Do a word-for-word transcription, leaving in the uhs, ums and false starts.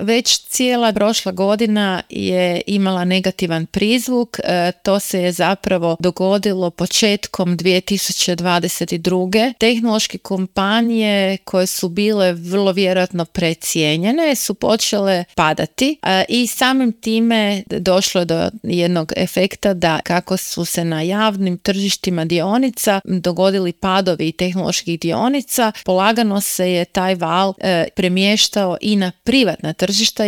već cijela prošla godina je imala negativan prizvuk. E, to se je zapravo dogodilo početkom dvije tisuće dvadeset druge. Tehnološke kompanije koje su bile vrlo vjerojatno precijenjene su počele padati e, i samim time došlo do jednog efekta da kako su se na javnim tržištima dionica dogodili padovi tehnoloških dionica, polagano se je taj val e, premještao i na privatna tržišta